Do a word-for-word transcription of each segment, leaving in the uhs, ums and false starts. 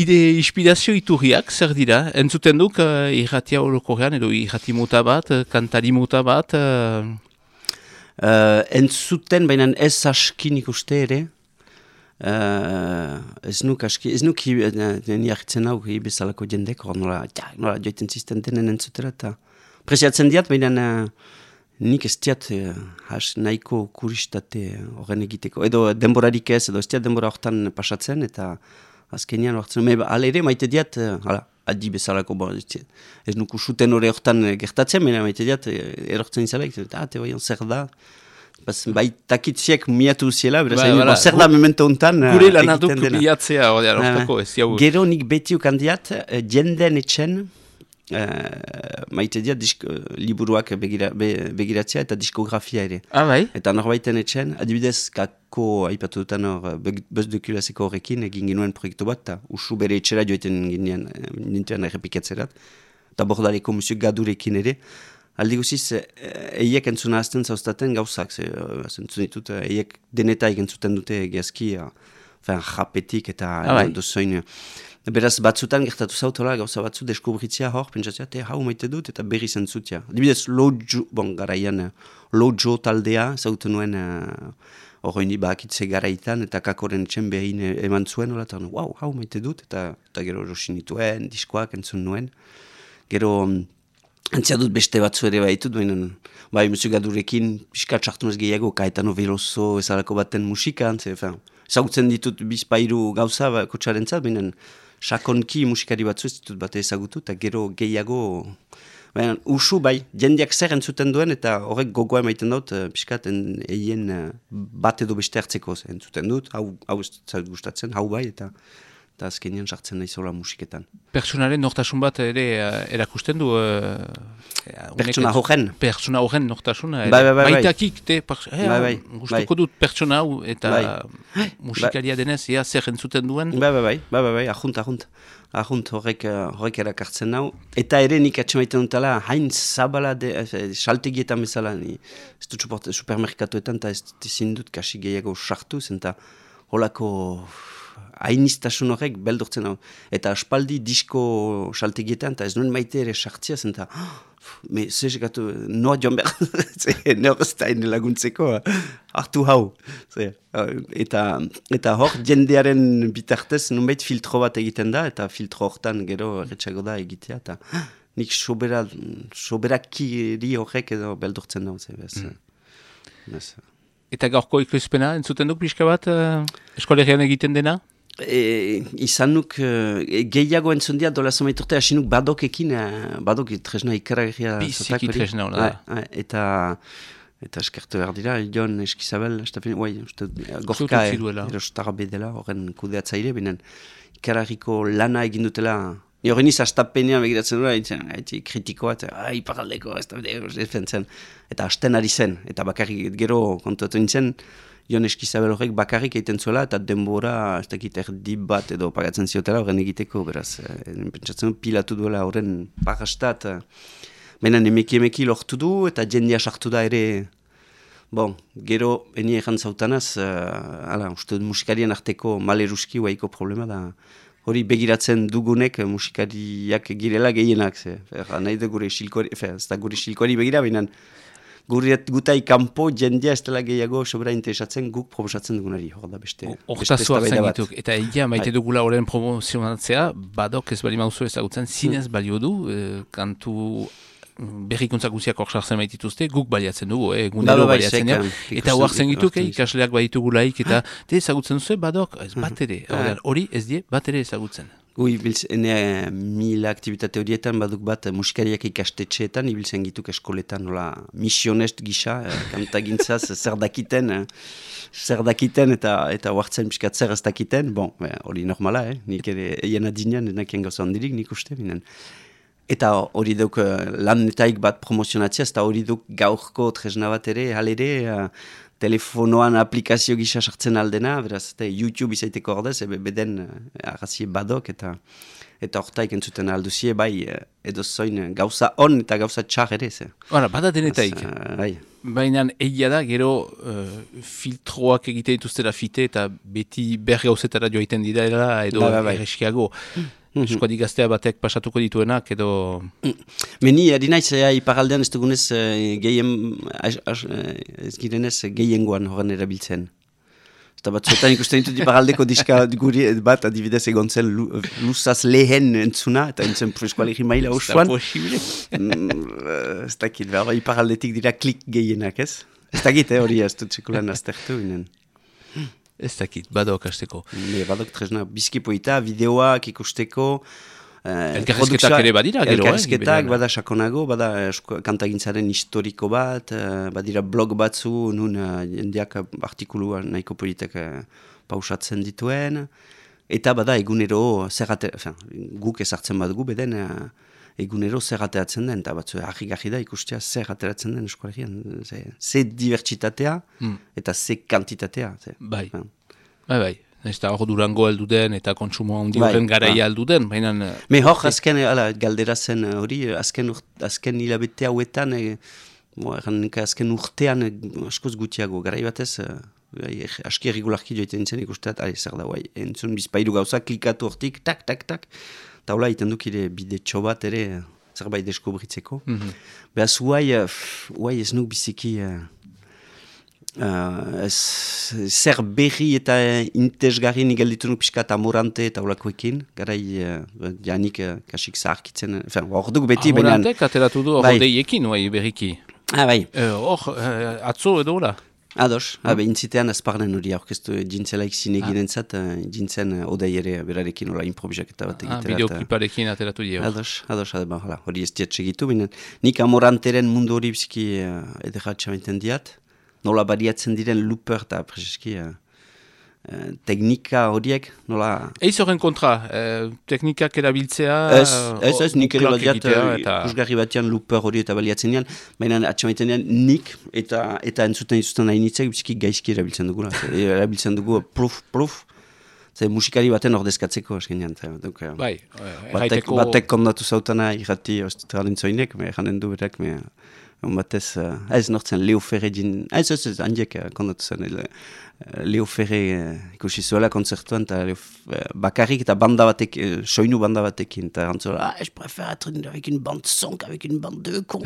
ide inspirazio iturriak, zer dira? Entzuten duk uh, irratia orokorrean, edo irrati mota bat, uh, kantari mota bat? Uh... Uh, entzuten, baina ez askin ikuste ere. Uh, ez nuk aski, ez nuk nien jarritzen hau bezalako jendek, hor nola, ja, nola joiten zisten denen entzutera, eta presiatzen diat, baina uh, nik ez diat uh, has nahiko kuristate horren egiteko. Edo denborarik ez, edo ez diat denbora hortan pasatzen, eta azkenean hortzen, me ala ere maite diat, uh, hala, adi bezalako, bon, ez nuk usuten hori hortan gertatzen, baina maite diat, erortzen izala, eta ah, te baion zer da, bai takitziek miatu ziela, beraz, ba, ba, zer da memento hontan gure lanaduk miatzea, hortako ez jau. Gero nik beti ukandiat, jenden etxen, uh, maite diat disk, liburuak begira, be, begiratzea eta diskografia ere. Ah, bai? Eta norbaiten etxen, adibidez, kako aipatu dutan hor, Buzz Dukulaseko horrekin, egin ginuen proiektu bat, eta usu bere etxera joiten ginen, nintuen errepikatzerat, eta bordaleko musik gadurekin ere. Aldi guziz, eiek entzuna azten zauztaten gauzak, entzun ditut, eiek denetaik entzuten dute egiazki, japetik eta ah, dozoin. Beraz, batzutan gertatu zautola gauza batzu deskubritzia hor, pentsatzea, te hau maite dut eta berriz entzutia. Dibidez, Lojo, bon, garaian, Lojo taldea, zautu nuen horreini bakitze garaitan, eta kakoren etxen behin eman zuen, hola, eta wow, hau maite dut, eta, eta gero rosin dituen, diskoak entzun nuen. Gero, antzia dut beste batzu ere baitut, baina bai musikadurekin pixka txartunez gehiago, Caetano Veloso ezalako baten musikan, ezagutzen ditut bizpairu gauza ba, kotxaren zat, baina sakonki musikari batzu ez ditut bate ezagutu, eta gero gehiago, baina usu bai, jendeak zer entzuten duen, eta horrek gogoa emaiten dut, pixkat eien bat edo beste hartzeko entzuten dut, hau, hau ez zait gustatzen, hau bai, eta eta azkenean sartzen nahi zola musiketan. Pertsonaren nortasun bat ere uh, erakusten du? Uh, pertsona horren? Pertsona horren nortasun. Bai, bai, bai. Baitakik, te, eh, bai, bai, gustuko bai. dut pertsona hau, eta bai. musikaria denez, ea zer entzuten duen? Bai, bai, bai, bai, bai, bai, ahunt, ahunt. Ahunt horrek, horrek erakartzen nau. Eta ere nik atxemaiten dutela, hain zabala, saltegietan bezala, ni, ez dut suport, supermerkatuetan, eta ez ezin dut kasi gehiago sartuz, eta holako hainiztasun horrek beldurtzen hau. Eta aspaldi disko saltegietan, eta ez nuen maite ere sartzia zen, eta me zezekatu, noa joan behar, ne horrezta hain laguntzeko, hartu hau. Eta, eta hor, jendearen bitartez, nunbait filtro bat egiten da, eta filtro hortan gero erretxago da egitea, eta nik sobera, soberakiri horrek edo beldurtzen hau. Mm. Eta gaurko ekoizpena, entzuten duk pixka bat, uh, eskolegian egiten dena? E, izan nuk e, gehiago entzundia dola zomaiturte, hasi nuk badokekin, e, badok tresna ikaragia. Biziki tresna hona da. Eta, eta eskertu behar dira, Jon Eskizabel, guai, gorka erostara bedela, horren kudeatzaile, binen ikaragiko lana egin dutela. Horren iz, astapenean begiratzen dura, haitzi kritikoa, eta iparaldeko, ez da, eta hasten ari zen, eta bakarrik gero kontuatu nintzen, Jon Eskizabel horrek bakarrik egiten zuela, eta denbora, ez dakit erdi bat edo pagatzen ziotela horren egiteko, beraz, pentsatzen pilatu duela horren parastat, baina emeki emeki lortu du, eta jendia sartu da ere, bon, gero, eni egan zautanaz, ala, uste musikarien arteko maleruski huaiko problema da, hori begiratzen dugunek musikariak girela gehienak, ze, nahi da gure silkoari, ez da gure silkoari begira, baina Guriet gutai kanpo jendia ez dela gehiago sobera interesatzen guk proposatzen dugunari, hor da beste. Hortazua zengituk, eta egia maite dugula horren promozionatzea, badok ez bali mauzo ezagutzen, zinez balio du, eh, kantu berrikuntza guziak hor sartzen maitituzte, guk baliatzen dugu, eh, gunero baliatzen ja, eta hor zengituk, eh, ikasleak baditugulaik, eta te ezagutzen duzu, badok, ez bat ere, hori ez die, bat ere ezagutzen. Ui, ene mila aktivitate horietan baduk bat musikariak ikastetxeetan, ibiltzen gituk eskoletan, nola, misionest gisa, eh, kantagintzaz, zer dakiten, eh, zer dakiten eta eta huartzen piskat zer ez dakiten, bon, hori eh, normala, eh, nik ere eien adinean, enakien gauza handirik nik uste, binen. Eta hori duk lan netaik bat promozionatzea, eta hori duk gaurko tresna bat ere, halere, telefonoan aplikazio gisa sartzen aldena, beraz, eta YouTube izaiteko ordez, ebe beden arrazie badok, eta eta hortaik entzuten alduzie, bai, edo zoin gauza on eta gauza txar ere, ze. Hora, bada denetaik. Bai. Baina egia da, gero uh, filtroak egite dituztera fite eta beti ber gauzetara joaiten dira edo ba, ba, erreskiago. Mm-hmm. Eskoadik gaztea batek pasatuko dituenak edo... Meni, adinaiz, iparaldean ez dugunez gehien, ez girenez gehiengoan horren erabiltzen. Eta batzuetan ikusten ditut iparaldeko diska guri bat adibidez egon zen luzaz lehen entzuna, eta entzun eskualegi maila osoan. Ez dakit, behar iparaldetik dira klik gehienak, ez? Ez dakit, hori ez dut sekulan aztertu ginen. Ez dakit, badok hasteko. Badok tresna bizkipoita, bideoak ikusteko. Elkarrizketak ere badira, gero. Elkarrizketak, bada sakonago, bada kantagintzaren historiko bat, badira blog batzu, nun jendeak artikulua nahiko politak pausatzen dituen, eta bada egunero zerrate, guk ezartzen bat gu, beden egunero zerrateatzen den, eta batzu harri-garri da ikustea zerrateratzen den eskolegian. Ze dibertsitatea eta ze kantitatea. Bai, bai, bai. Ez da hor Durango aldu den eta kontsumo handi horren garaia aldu den. Me hor, azken galdera zen hori, azken hilabete hauetan, azken urtean askoz gutiago, garai batez, aski erregularki joiten nintzen ikusteat, ari zer da, entzun bizpairu gauza, klikatu hortik, tak, tak, tak, eta hola, iten duk ere bide txobat ere, zerbait deskubritzeko. Behaz, huai ez nuk biziki... Uh, zer berri eta intezgarri nigal ditu nuk pixka eta Amorante eta olakoekin, garai uh, janik uh, kasik zaharkitzen, hor duk beti. Amorantek ateratu du hor deiekin, bai, berriki. Ah, bai. Hor, uh, uh, atzo edo hola? Ados, mm. Habe, intzitean azparnen hori aurkeztu jintzelaik zineginen zat, uh, jintzen uh, odei ere berarekin hola improvisak bat egiterat. Ah, bideokliparekin ateratu dio. Ados, ados, ados, hala, hori ez diat segitu, binen. Nik Amoranteren mundu hori biziki uh, ederratxa baiten diat. Nola bariatzen diren looper eta prezeski uh, uh, teknika horiek, nola... Eiz horren kontra, uh, teknikak erabiltzea... Ez, ez, ez, nik ere baliat, kusgarri batean looper hori eta baliatzen dian, baina atxamaiten dian nik eta eta entzuten izuzten nahi nitzek, biziki gaizki erabiltzen dugu, erabiltzen dugu pluf, pluf, ze musikari baten ordezkatzeko, eskenean. Bai, erraiteko... Batek kondatu zautana irrati, ez dut galintzoinek, me janen du berak, me... Batez, uh, ez nortzen Leo Ferre din... Ez, ez, ez, handiek uh, kondatu zen. Uh, Leo Ferre uh, ikusi zuela konzertuan, eta uh, bakarrik eta banda batek, uh, soinu banda batekin, eta rantzola, ah, je préfère être avec une bande sonk, avec une bande de con.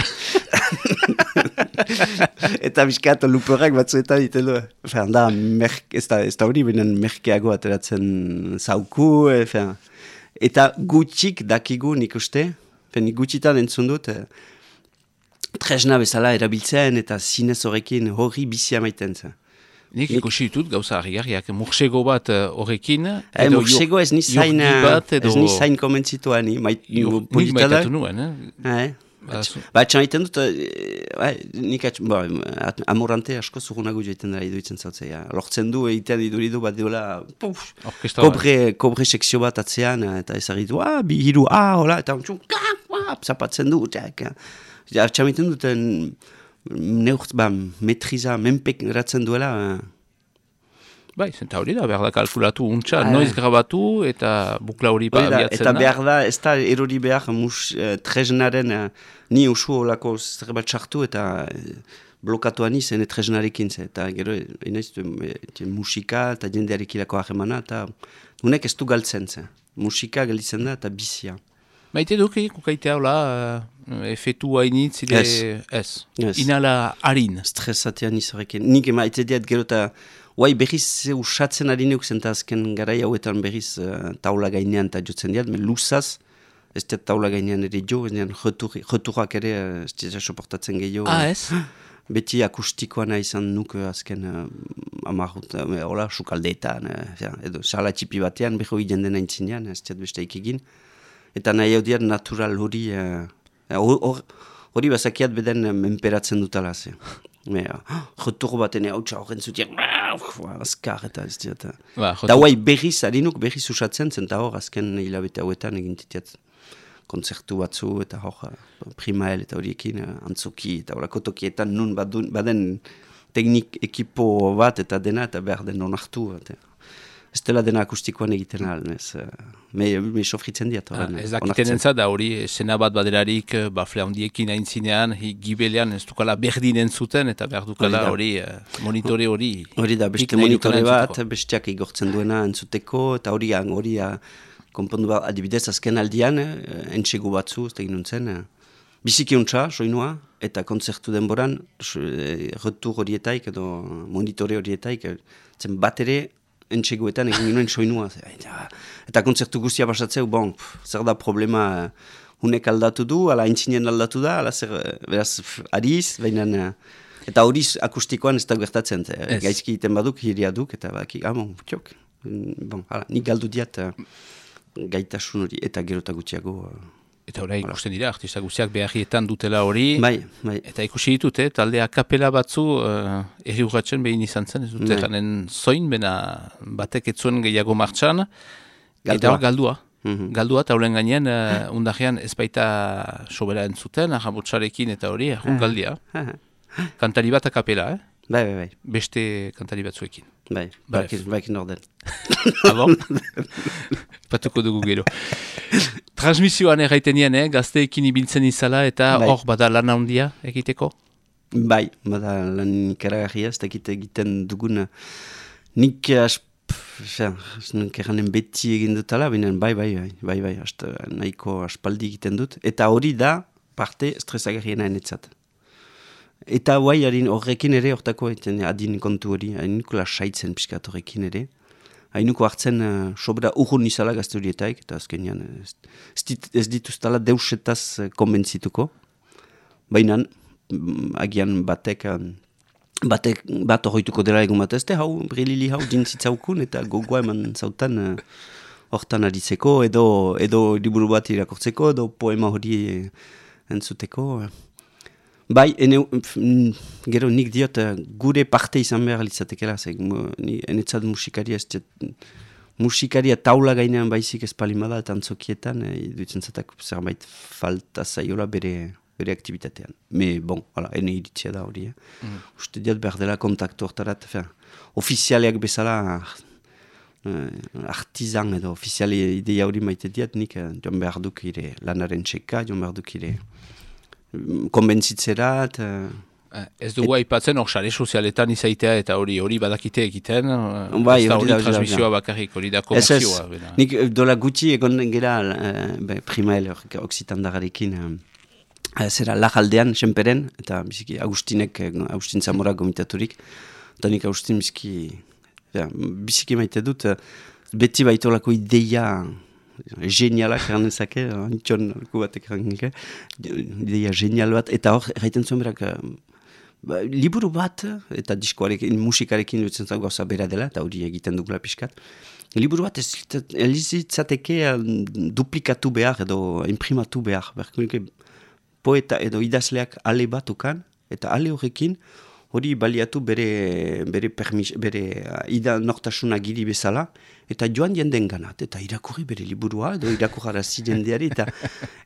Eta bizkat, luperak batzuetan ditu du. Enfin, da, merk, ez da, ez da hori, benen merkeago ateratzen zauku, enfin, eta gutxik dakigu nik uste, nik gutxitan entzun dut, uh, tresna bezala erabiltzen eta zinez horrekin horri bizia maiten zen. Nik ikusi ditut gauza harri-harriak, mursego bat horrekin... E, mursego ez ni zain, ez ni zain komentzituan, ni maitatu nuen, eh? Ba, etxan maiten dut, nik atxan, Amorante asko zurunago joiten dara iduitzen zautzea. Lortzen du, egiten iduridu bat diola, kobre sekzio bat atzean, eta ezagit, bi hiru, ah, hola, eta zapatzen du, eta... Artxamiten duten neurt, ba, metriza, menpek eratzen duela. Bai, zenta hori da, behar da kalkulatu untxa, noiz grabatu eta bukla hori ba abiatzen da. Eta behar da, ez da erori behar mus uh, tresnaren uh, ni usu olako zerbat sartu eta uh, blokatuan izan tresnarekin ze. Eta gero, enaiz, musika eta jendearekilako ahemana, eta unek ez du galtzen ze. Musika galitzen da eta bizia. Maite duke, kukaitea hola, uh, efetu hainitz, ide... Ez. Ez. Inala harin. Stresatean izarekin. Nik maite diat gero eta... Huai berriz usatzen harineuk zenta azken garai hauetan berriz uh, taula gainean eta jotzen diat, men luzaz, ez diat taula gainean ere jo, ez diat returak ere, ez diat soportatzen gehiago. Ah, ez? Beti akustikoana izan nuk azken uh, amarrut, uh, hola, sukaldeetan, uh, edo sala txipi batean, beho jenden aintzinean, ez diat besteik egin. Eta nahi hau diat natural hori, hori uh, bazakiat beden menperatzen dutala, ze. Retur baten hautsa horren zutiak, azkar eta ez diat. Eta huai berriz, harinuk berriz usatzen zen, eta hor azken hilabete hauetan egintitiat konzertu batzu, eta hor primael eta horiekin antzoki, eta horako tokietan nun badun, baden teknik ekipo bat eta dena, eta behar den onartu. Eta, ez dela dena akustikoan egiten ahal, ez. Me, me sofritzen diat. Ah, ez dakiten entzat, da hori, sena bat baderarik, bafle handiekin hain zinean, gibelean ez dukala berdinen zuten, eta behar dukala hori, monitore hori. Hori da, beste monitore bat, besteak igortzen duena entzuteko, eta hori, hori, konpondu bat, adibidez, azken aldian, entxegu batzu, ez da ginuntzen, biziki ontsa, soinua, eta kontzertu denboran, retur horietaik, edo monitore horietaik, zen bat ere, entxeguetan egin ginoen soinua. Eta kontzertu guztia basatzeu, bon, zer da problema, hunek aldatu du, ala entzinen aldatu da, ala zer, beraz, ariz, baina, eta hori akustikoan ez da gertatzen, yes. Gaizki iten baduk, hiria duk, eta baki, ah, bon, txok, bon, ala, nik galdu diat gaitasun hori, eta gerota gutxiago. Eta hori ikusten dira, artista guztiak beharrietan dutela hori, bai, bai. Eta ikusi ditut, eh, talde akapela batzu uh, erri urratzen behin izan zen, ez dute janen zoin, bena batek etzuen gehiago martxan, eta hor galdua. Mm-hmm. Galdua, eta horren gainean, uh, undarrean ez baita sobera entzuten, ahamotxarekin eta hori, errun galdia. Kantari bat akapela, eh? Bai, bai, bai. Beste kantari batzuekin. Bai, bakin orden. Abo? Patuko dugu gero. Transmisioan erraiten nien, eh? Gazteekin ibiltzen izala eta hor bai. Bada lan handia egiteko? Bai, bada lan ikaragarria, ez dakit egiten dugun. Nik erranen beti egin dutala, binen bai, bai, bai, bai, bai, hasta nahiko aspaldi egiten dut. Eta hori da parte stresagarriena enetzat. Eta guai, horrekin ere, hortako adin kontu hori, hainuko lasaitzen piskat horrekin ere. Hainuko hartzen uh, sobera urrun izala gazte horietaik, eta azkenean ez, ez dituztala deusetaz konbentzituko. Baina, agian batek, batek bat horretuko dela egun bat ezte, hau, brilili hau dintzitzaukun, eta gogoa eman zautan hortan uh, aditzeko, edo, edo liburu bat irakortzeko, edo poema hori entzuteko. Bai, ene, gero nik diot gure parte izan behar litzatekela, enetzat musikaria ez musikaria taula gainean baizik ez palimada eta antzokietan, e, duitzen zatak zerbait falta zaiola bere, bere aktivitatean. Me, bon, hala, ene iritzia da hori. Eh? Mm. Uste diot behar dela kontaktu hortarat, ofizialeak bezala uh, artizan edo ofiziale ideia hori maite diat, nik uh, joan behar duk ire lanaren txeka, joan behar duk ire konbentzitzerat. Uh, ez dugu aipatzen hor sare sozialetan izaitea eta hori hori badakite egiten, uh, bai, ez da hori transmisioa bakarrik, hori da komerzioa. Ez ez, nik dola gutxi egon gera uh, primael oksitandagarekin uh, zera lajaldean, senperen, eta biziki Agustinek, Agustin Zamora gomitaturik, eta nik Agustin biziki, ja, biziki maite dut, uh, beti baitolako ideia genialak eranezake, antxon alku batek eranezake, ideia genial bat, eta hor, erraiten zuen berak, ba, liburu bat, eta diskoarekin, musikarekin dutzen zago gauza bera dela, eta hori egiten dugula pixkat, liburu bat elizitzateke duplikatu behar, edo imprimatu behar, berkunike poeta edo idazleak ale bat ukan, eta ale horrekin, hori baliatu bere, bere, permis, bere ida nortasuna giri bezala, eta joan jenden ganat, eta irakurri bere liburua, edo irakurrarazi jendeari, eta,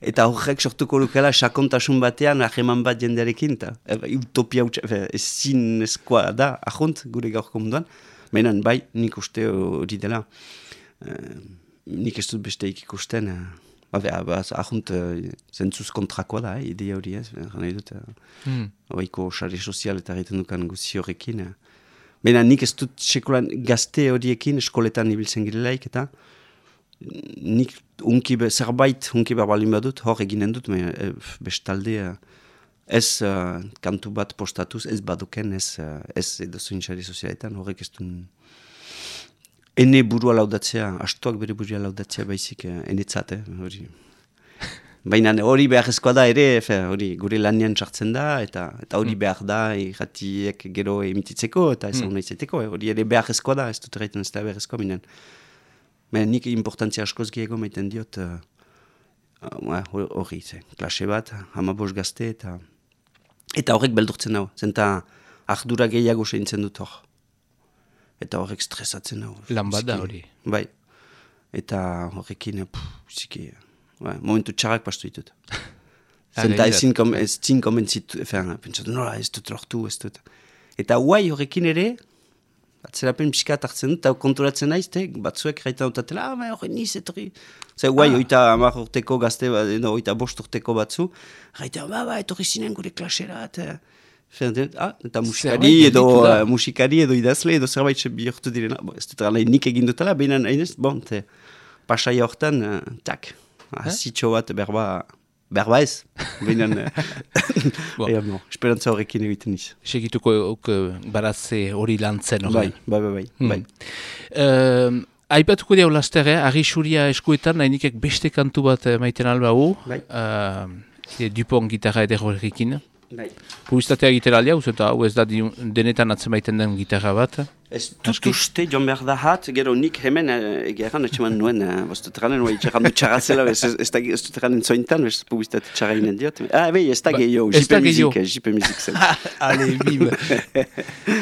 eta horrek sortuko lukela sakontasun batean, aheman bat jendearekin, eta utopia ezin eskoa da, ahont, gure gaurko munduan, menan bai, nik uste hori dela, uh, nik ez dut besteik ikusten, uh, ahont zentzuz kontrakoa da, eh, ideia hori ez, gana edut, hmm. oiko sare sozial eta egiten dukan guzi horrekin. Baina nik ez dut sekulan gazte horiekin eskoletan ibiltzen girelaik, eta nik unki be, zerbait unki berbalin badut, hor eginen dut, me, e, bestalde ez uh, kantu bat postatuz, ez baduken, ez, uh, ez edo zuin sare sozialetan, horrek ez duen ene burua laudatzea, astuak bere burua laudatzea baizik enetzat, eh, hori. Baina hori beharrezkoa da ere, hori gure lanian sartzen da, eta eta hori mm. behar da, irratiek gero emititzeko, eta ez hona mm. izaiteko, hori ere beharrezkoa da, ez dut erraiten ez da beharrezkoa, binen. Baina nik importantzia askoz gehiago maiten diot, hori, uh, klase bat, hamabos gazte, eta eta horrek beldurtzen dago, zenta ardura gehiago seintzen dut hor. Eta horrek stresatzen hau. Lan bat da hori. Bai. Eta horrekin, ziki, bai, momentu txarrak pastu ditut. Zenta ezin komentzitu, pentsatu, nola ez dut lortu, ez dut. Eta guai horrekin ere, atzerapen pixkat hartzen dut, eta konturatzen naiz, te, batzuek gaitan dutatela, ah, horren niz, etorri. Zer, guai, ah. oita amar urteko gazte, no, oita bost urteko batzu, gaitan, ba, ba, etorri zinen gure klasera, eta... Ah, eta musikari edo, uh, musikari edo idazle edo zerbait bihurtu direna. Bo, ez dut gala nik egin dutela, behinan, hainez, bon, te, pasaia hortan, uh, tak, zitxo bat, berba, berba ez, behinan, bon. Ea, bon, esperantza horrekin egiten niz. Segituko uh, baratze hori lantzen horrein. Bai, bai, bai, bai. Hmm. Uh, Aipatuko diau laster, eh? Arri xuria eskuetan, nahinikek beste kantu bat maiten alba hu. Bai. Uh, Dupont gitarra edero errikin. Bai. Publizitatea egitera alia, eta hau ez da denetan atzemaiten den gitarra bat. Ez dut uste joan behar da hat, gero nik hemen egeran etxeman nuen, ez dut eranen, etxeran dut txarra zela, ez dut eranen zointan, ez publizitate txarra inen diot. Ah, bai, ez da gehiago, jipe mizik, jipe mizik zen. Ale, bim.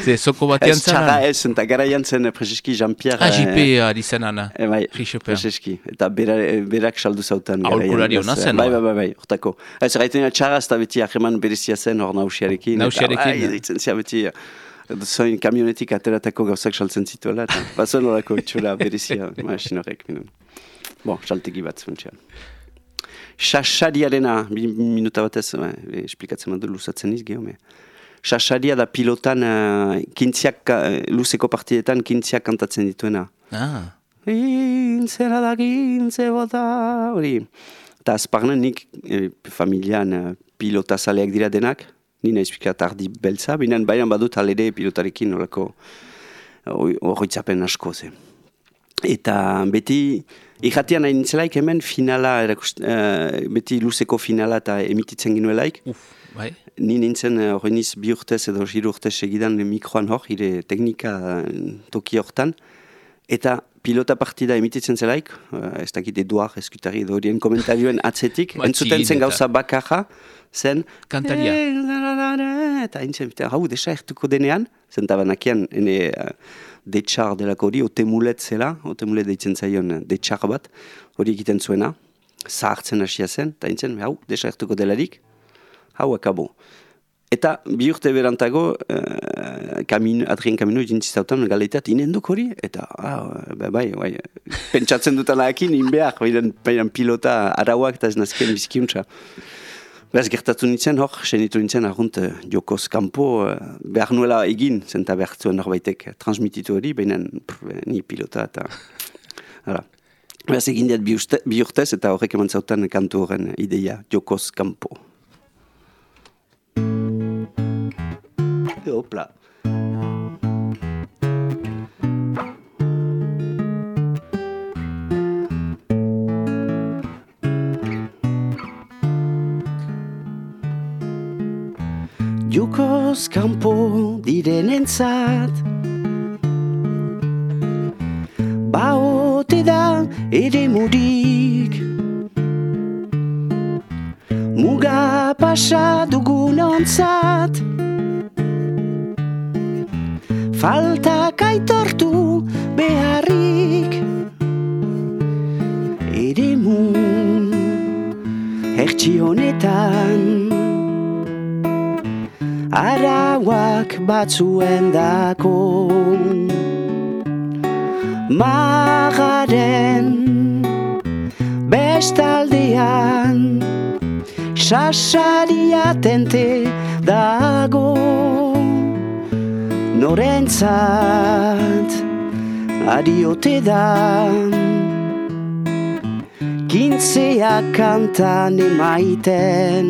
Ze, soko batean zen? Ez txarra ez, eta gara jantzen Prezeski Jean-Pierre. Ah, jipe ari zen ana. Bai, Prezeski, eta berak saldu zautan. Aholkulari hona zen. Bai, bai, bai, hortako. Ez gaiten txarra, ez da beti ahreman berezia zen hor nausiarekin. Nausiarekin. Zoin kamionetik ateratako gauzak saltzen zituela, eta bazuen horako itxura berezia, masin horrek. Bon, saltegi bat zuntxean. Sassariarena, bi minuta batez, eh, esplikatzen madu luzatzen iz, geho, me. Sassaria da pilotan, uh, kintziak, uh, luzeko partidetan kintziak kantatzen dituena. Ah. Kintzera da kintze bota, hori. Eta azparnen nik eh, familian uh, pilota zaleak dira denak, nina izpikat ardi beltza, binen baian badut alere pilotarekin horako horretzapen asko ze. Eta beti, irratian hain nintzelaik hemen finala, erakust, uh, beti luzeko finala eta emititzen ginuelaik. Uf, bai. Ni nintzen horreniz uh, bi urtez edo jiru urtez egidan mikroan hor, ire teknika uh, toki hortan. Eta pilota partida emititzen zelaik, uh, ez dakit Eduard, eskutari edo horien komentarioen atzetik, entzuten zen gauza bakarra, zen kantaria. Eta haintzen, hau desa ertuko denean, zen tabanakian, ene uh, detxar delako hori, otemulet zela, otemulet deitzen zaion detxar bat, hori egiten zuena, zahartzen hasia zen, eta haintzen, hau desa ertuko delarik, hau akabo. Eta bi urte berantago, uh, kamino, Adrien Kamino jintzizautan galeiteat inenduk hori, eta ah, bai, bai, bai, pentsatzen dutanakin inbeak, baian pilota arauak eta ez nazkien bizkiuntza. Beraz gertatu nintzen hor, senitu nintzen argunt uh, jokoz kanpo uh, behar nuela egin, zenta behar zuen norbaitek transmititu hori, baina ni pilota eta... Hala. Beraz egin diat bi, uste, bi urtez eta horrek eman zautan kantu horren ideia jokoz kanpo. Hopla. Jokoz kanpo direnentzat baote da ere murik muga pasa dugunontzat faltak aitortu beharrik ere mu hertsi honetan arauak batzuen dako magaren bestaldean sasaria tente dago norentzat adiote da kintzea kantan emaiten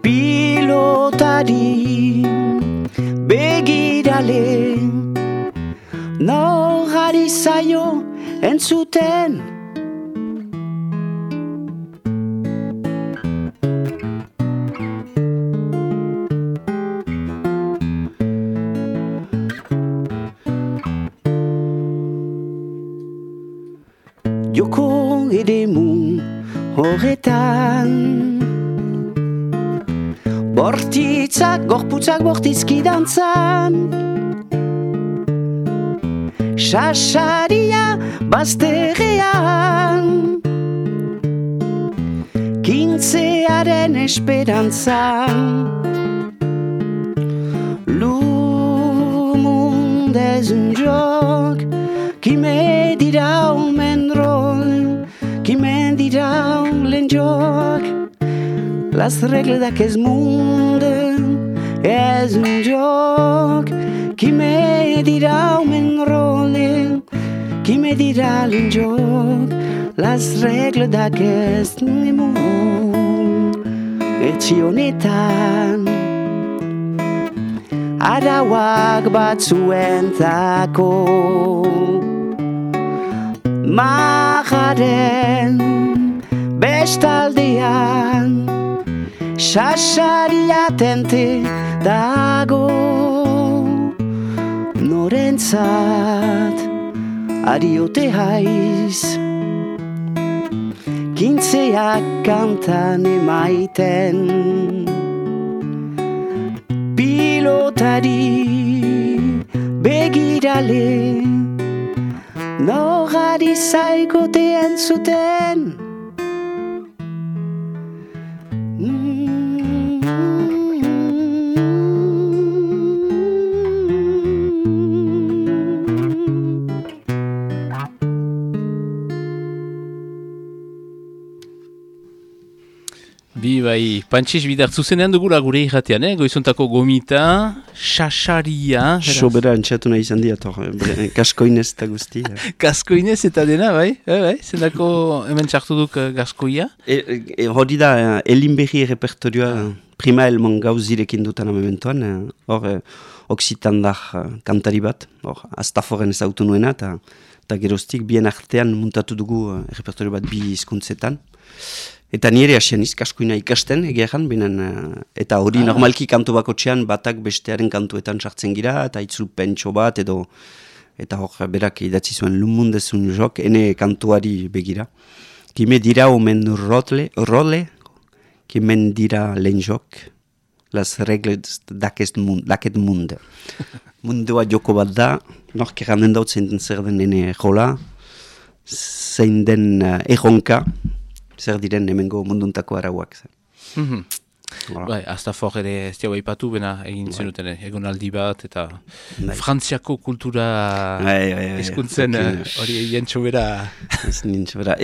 pilotari begirale norari zaio entzuten joko edemu horretan bortitzak, gorputzak bortizki dantzan sasaria bazterrean kintzearen esperantzan es un joc. Qui me dirà un rol, qui me dirà un joc. Las regles d'aquest monde és un joc. Qui me dirà un rol, qui me dirà un joc. Las regles d'aquest monde etxe honetan arauak batzuentzako majaren bestaldean sasaria tente dago norentzat ariote haiz kintzeak kantan emaiten pilotari begirale nogari zaigotean zuten Bi, bai, Pantxiz bidar zuzenean dugula gure irratean, eh? Goizontako gomita, xaxaria. Sobera entxatu nahi izan diat, kaskoinez eta guzti. Kaskoinez eta dena, bai? Eh, bai? Zendako hemen txartu duk gaskoia? E, e, hori da, Elinberri repertorioa prima elmon gauzirekin dutan amementoan, hor Oksitandar kantari bat, hor Astaforen ezautu nuena, eta geroztik bien artean muntatu dugu repertorio bat bi hizkuntzetan. Eta nire asian izkaskoina ikasten, egeran, binen, eta hori ah. normalki kantu bakotxean batak bestearen kantuetan sartzen gira, eta itzul pentso bat, edo, eta hor berak idatzi zuen lumundezun jok, ene kantuari begira. Kime dira omen role, role, kimen dira lehen jok, las regles daket munde. Mundua joko bat da, nork erranden daut zein den zer den ene jola, zein den uh, erronka, zer diren hemengo munduntako arauak. Mm-hmm. Voilà. Bai, Astafor ere ez diau eipatu, bena egin bai. Zenuten egon aldi bat, eta bai. Frantziako kultura ezkuntzen hori egin txobera.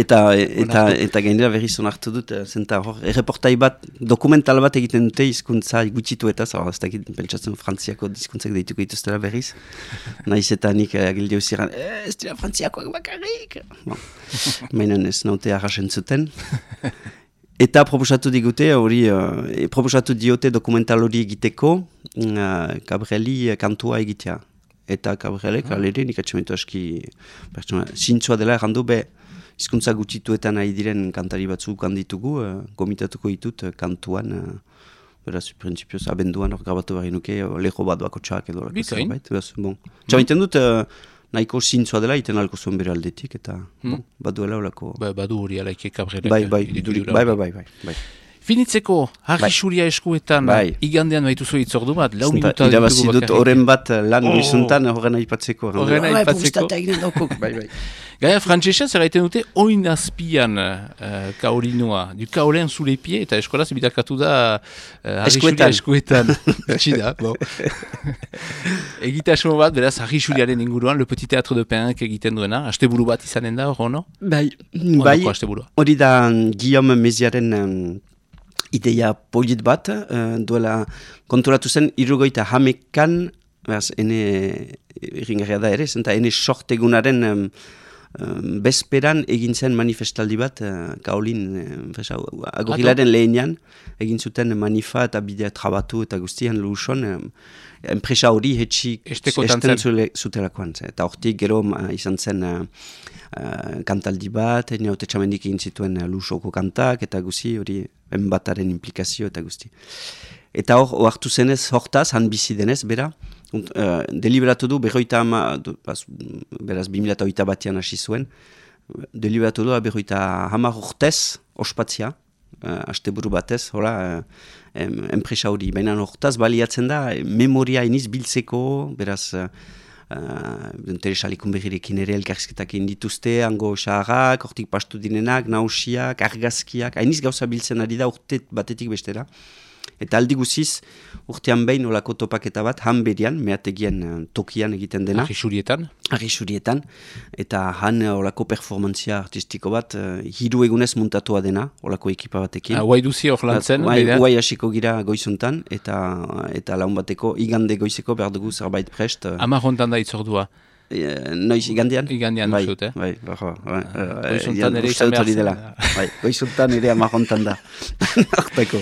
Eta, eta, eta gainera berriz onartu dut, zenta hor, erreportai bat, dokumental bat egiten dute hizkuntza gutxitu eta, zara, ez dakit, pentsatzen Frantziako hizkuntzak deituko dituztela berriz. Naiz eta nik agildi hauziran, ez dira Frantziakoak bakarrik. Bon. Mainan ez naute arrasen zuten. Eta proposatu digute, hori, uh, proposatu diote dokumental hori egiteko, uh, Gabrieli kantua egitea. Eta Gabrielek, ah. alere, nik atxementu aski, zintzua dela errandu, be, hizkuntza gutxituetan nahi diren kantari batzuk handitugu, uh, gomitatuko ditut uh, kantuan, uh, beraz, prinsipioz, abenduan hor grabatu behar nuke, uh, leho bat bako txak edo. Bikain. Bon. Txamaiten dut, uh, nahiko zintzua dela, iten alko zuen bere aldetik, eta hmm. bon, baduela olako... Ba, badu hori alaike Gabrielek. Bai, bai, bai, bai, bai, bai, bai. Finitzeko, harri xuria eskuetan, bai. Igandean baitu zuen itzordu bat, lau minuta... Irabazi dut horren bat lan oh. Bizuntan horren aipatzeko. Horren aipatzeko. Bai, bai. Gaia, frantzesa, zer gaiten dute, oin azpian uh, kaolinua, du kaolen zule pie, eta eskolaz bidakatu da uh, harri xuria eskuetan. Txida, bon. Egitasmo bat, beraz, harri xuriaren inguruan, Le Petit Théâtre de Penk egiten duena, asteburu bat izanen da, hor, no? Bai, bai, hori da Guillaume Meziaren um, ideia polit bat, uh, duela konturatu zen, irrogoita hamekan, beraz, ene, erringarria da ere, zenta ene sortegunaren um, Um, bezperan egin zen manifestaldi bat, uh, kaolin, uh, agorilaren lehenean, egin zuten manifa eta bidea trabatu eta guztian luson, um, enpresa hori hetxik esten zutelakoan. Eta hortik gero uh, izan zen uh, uh, kantaldi bat, neote txamendik egin zituen uh, lusoko kantak eta guzti hori enbataren implikazio eta guzti. Eta hor, hartu zenez hortaz, han bizi denez, bera, Uh, deliberatu du, berroita ama, du, baz, beraz, bimila eta oita batian hasi zuen, deliberatu du, berroita hamar urtez, ospatzia, uh, asteburu batez, hola, uh, em, enpresa hori, baina hortaz baliatzen da, memoria iniz biltzeko, beraz, uh, uh, Teresalikun berrirekin ere elkarrizketak indituzte, hango xarrak, hortik pastu dinenak, nausiak, argazkiak, hainiz gauza biltzen ari da urte batetik bestera. Eta aldi guziz, urtean behin olako topaketa bat, han berian, meategien uh, tokian egiten dena. Arrixurietan. Arrixurietan. Eta han uh, olako performantzia artistiko bat, uh, hiru egunez muntatua dena, olako ekipa batekin. Ah, Guai duzi hor lantzen. Guai hasiko gira goizuntan, eta, eta laun bateko, igande goizeko behar dugu zerbait prest. Uh, Amar hontan da itzordua. E, noiz, igandian? Igandian bai, duzut, eh? Bai, bajo. Bai, goizuntan ere izan behar zen. Bai, goizuntan ere amahontan da. Hortako.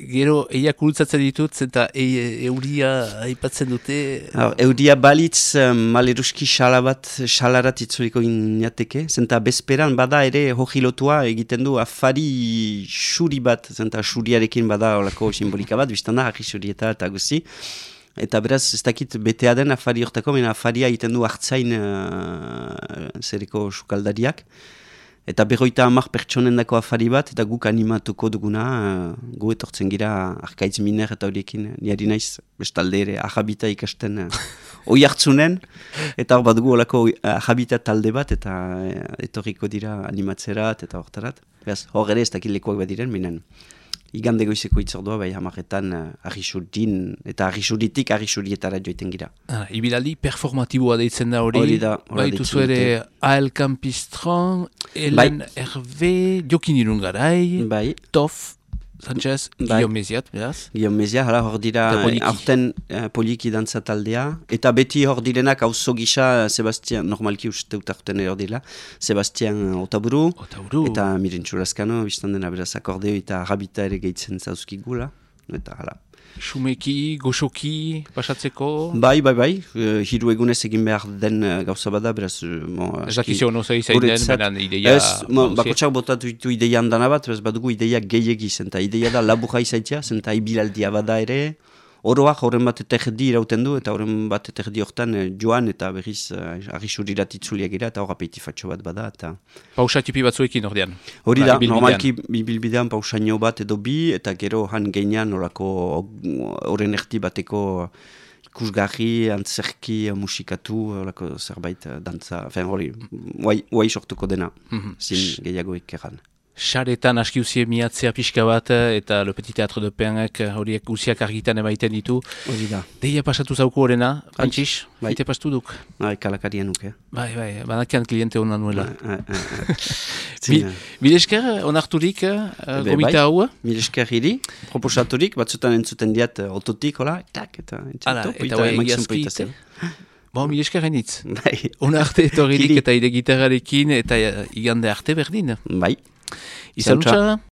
Gero, eia kultzatzen ditut, eta e, euria aipatzen dute... Hor, euria balitz, maleruski xala bat, xalarat itzuliko inateke, zenta bezperan bada ere hojilotua egiten du afari xuri bat, zenta xuriarekin bada olako simbolika bat, biztan da, harri xurieta eta guzi. Eta beraz, ez dakit betea den afari hortako, mena afaria egiten du hartzain uh, zereko sukaldariak. Eta berroita amak pertsonen dako afari bat, eta guk animatuko duguna, uh, gu etortzen gira arkaitz miner eta horiekin, niari naiz, bestalde ere, ahabita ikasten uh, oi hartzunen, eta hor bat dugu olako ahabita talde bat, eta uh, etorriko dira animatzerat, eta hortarat. Beraz, hor ere ez dakit lekuak bat diren, minen. Igande goizeko itzordua, bai hamaretan uh, arrisurdin, eta arrisuritik arrisurietara joiten gira. Ah, ibilaldi performatiboa deitzen da hori. Hori da. Bai, tuzu ere A L Campistron, Helen bai. Hervé, Jokin Irungarai, bai. Tof, Sanchez, bai. Guillaume Meziat, beraz? Guillaume Meziat, hala hor dira, aurten uh, poliki dantza taldea, eta beti hor direnak auzo gisa, Sebastian, normalki uste utarten hor dira, Sebastian Otaburu, Otaburu. Eta Mirentxu Laskano, biztan dena beraz akordeo eta rabita ere gehitzen zauzkigula, eta hala. Xumeki, goxoki, pasatzeko? Bai, bai, bai, uh, hiru egunez egin behar den uh, gauza bada, beraz... Uh, ez dakizio no zer izan den, benen ideia... Ez, bakotxak botatu ditu ideian dana bat, beraz badugu ideia gehiagiz, eta ideia da laburra izaitzea, zenta ibilaldia bada ere, oroak horren bat eterdi irauten du, eta horren bat eterdi hortan eh, joan, eta berriz uh, arrisurirat itzuliak gira, eta hor apetifatxo bat bada, eta... Pausa tipi batzuekin ordean? Hori da, normalki bibilbidean pausaino bat edo bi, eta gero han geinean horako horren erdi bateko ikusgarri, antzerki, musikatu, horako zerbait dantza, fen hori, guai sortuko dena, mm-hmm. Zin gehiago ekeran. Xaretan aski usie miatzea pixka bat, eta Le Petit Teatre de Penek horiek usiak argitan emaiten ditu. Hori da. Deia pasatu zauku horrena, Frantxix, bai. Ite pastu duk? Bai, kalakarien nuke. Bai, bai, banakian kliente hona nuela. Bai, Milesker, onarturik, uh, gomita hau? Milesker hiri, proposaturik, batzutan entzuten diat uh, ototik, hola, tak, eta entzuten top, eta egiazki, bon, milesker hainitz. Bai. Onarte etorririk eta ide gitarrarekin, eta igande arte berdin. Bai. Izan utxa?